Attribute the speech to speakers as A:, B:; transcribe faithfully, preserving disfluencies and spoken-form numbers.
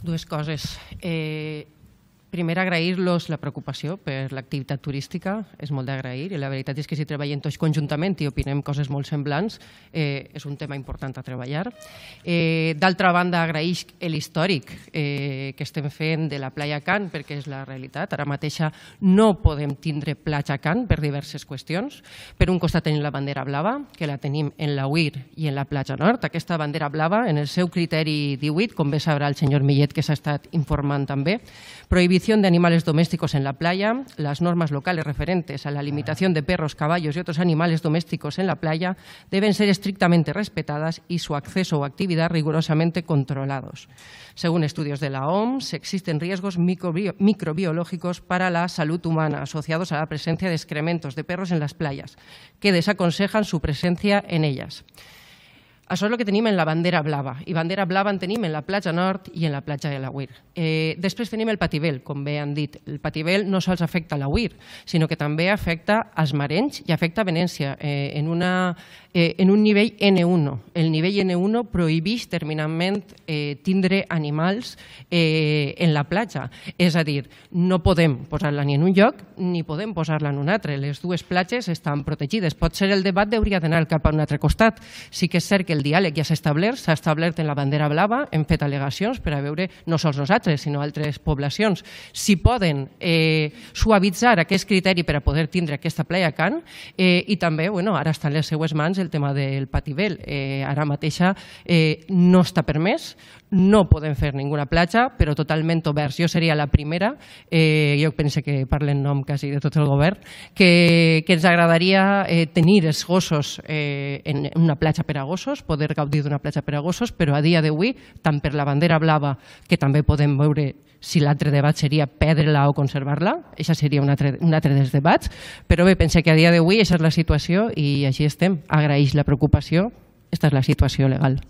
A: Dues coses. Eh, primer, agrair-los la preocupació per l'activitat turística, és molt d'agrair, i la veritat és que si treballem tots conjuntament i opinem coses molt semblants, eh, és un tema important a treballar. Eh, D'altra banda, agraïx l'històric eh, que estem fent de la Playa Can, perquè és la realitat. Ara mateixa no podem tindre platja Can per diverses qüestions. Per un costat tenim la bandera blava, que la tenim en la U I R i en la platja nord. Aquesta bandera blava, en el seu criteri divuit, com bé sabrà el senyor Millet, que s'ha estat informant també, prohibición de animales domésticos en la playa, las normas locales referentes a la limitación de perros, caballos y otros animales domésticos en la playa deben ser estrictamente respetadas y su acceso o actividad rigurosamente controlados. Según estudios de la O M S, existen riesgos microbiológicos para la salud humana asociados a la presencia de excrementos de perros en las playas, que desaconsejan su presencia en ellas. Això és el que tenim en la bandera blava, i bandera blava en tenim en la platja nord i en la platja de la U I R. Eh, després tenim el Patibel, com bé han dit. El Patibel no sols afecta la U I R, sinó que també afecta als Marenys i afecta a Venècia eh, en, una, eh, en un nivell N uno. El nivell N uno prohibeix terminantment eh, tindre animals eh, en la platja. És a dir, no podem posar-la ni en un lloc ni podem posar-la en un altre. Les dues platges estan protegides. Pot ser el debat hauria d'anar cap a un altre costat. Sí que és cert que el diàleg ja s'ha establert, s'ha establert en la bandera blava, hem fet al·legacions per a veure, no sols nosaltres, sinó altres poblacions, si poden eh, suavitzar aquest criteri per a poder tindre aquesta playa Can eh, i també, bueno, ara està en les seues mans el tema del Patibel. Eh, ara mateixa eh, no està permès, no podem fer ninguna platja, però totalment oberts. Jo seria la primera, eh, jo penso que parlo en nom quasi de tot el govern, que, que ens agradaria eh, tenir els gossos eh, en una platja per a gossos, poder gaudir d'una platja per a gossos, però a dia d'avui, tant per la bandera blava, que també podem veure si l'altre debat seria perdre-la o conservar-la, això seria un altre, un altre dels debats, però bé, pense que a dia d'avui aquesta és la situació i així estem. Agraeix la preocupació, aquesta és la situació legal.